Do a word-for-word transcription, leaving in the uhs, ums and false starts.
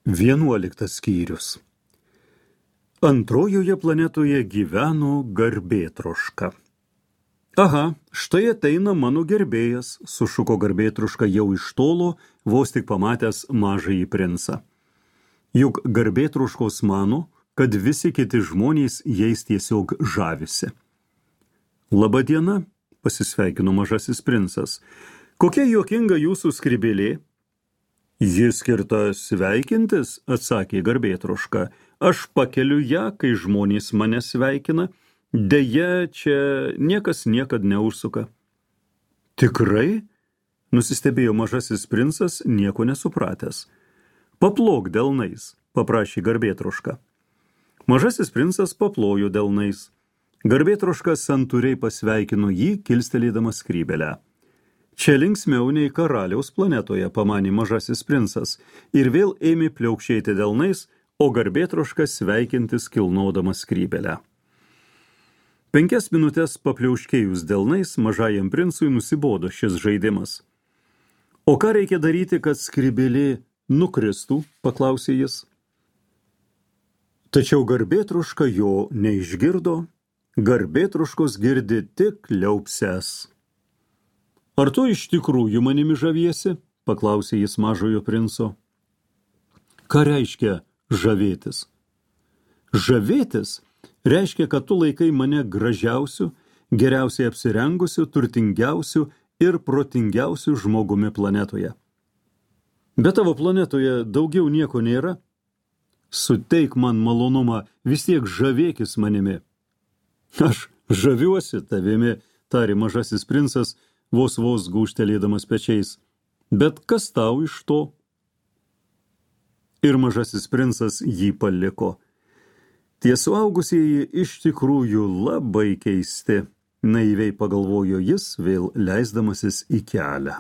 Vienuoliktas skyrius. Antrojoje planetoje gyveno garbėtroška. Aha, štai ateina mano gerbėjas, sušuko garbėtroška jau iš tolo, vos tik pamatęs mažąjį princą. Juk garbėtroškos mano, kad visi kiti žmonės jais tiesiog žavisi. Labą dieną, pasisveikino mažasis princas. Kokia juokinga jūsų skrybėlė? Jis skirta sveikintis, atsakė garbėtroška. Aš pakeliu ją, kai žmonės mane sveikina. Deja, čia niekas niekad neužsuka. Tikrai? Nusistebėjo mažasis princas, nieko nesupratęs. Paplok delnais, paprašė garbėtroška. Mažasis princas paplojo delnais. Garbėtroška santūriai pasveikino jį, kilstelėdamas skrybėlę. Čia linksmiau nei karaliaus planetoje, pamanė mažasis princas, ir vėl ėmė pliaukšėti delnais, o garbėtroška sveikintis kilnodamas skrybėlę. Penkias minutės papliauškėjus delnais, mažajam princui nusibodo šis žaidimas. O ką reikia daryti, kad skrybėlė nukristų, paklausė jis. Tačiau garbėtroška jo neišgirdo, garbėtroškos girdi tik liaupses. Ar tu iš tikrųjų manimi žaviesi? Paklausė jis mažojo princo. Ką reiškia žavėtis? Žavėtis reiškia, kad tu laikai mane gražiausiu, geriausiai apsirengusiu, turtingiausiu ir protingiausiu žmogumi planetoje. Bet tavo planetoje daugiau nieko nėra? Suteik man malonumą, vis tiek žavėkis manimi. Aš žaviuosi tavimi, tarė mažasis princas, vos vos gūžtelėdamas pečiais. Bet kas tau iš to? Ir mažasis princas jį paliko. Tie suaugusieji iš tikrųjų labai keisti, naiviai pagalvojo jis, vėl leisdamasis į kelią.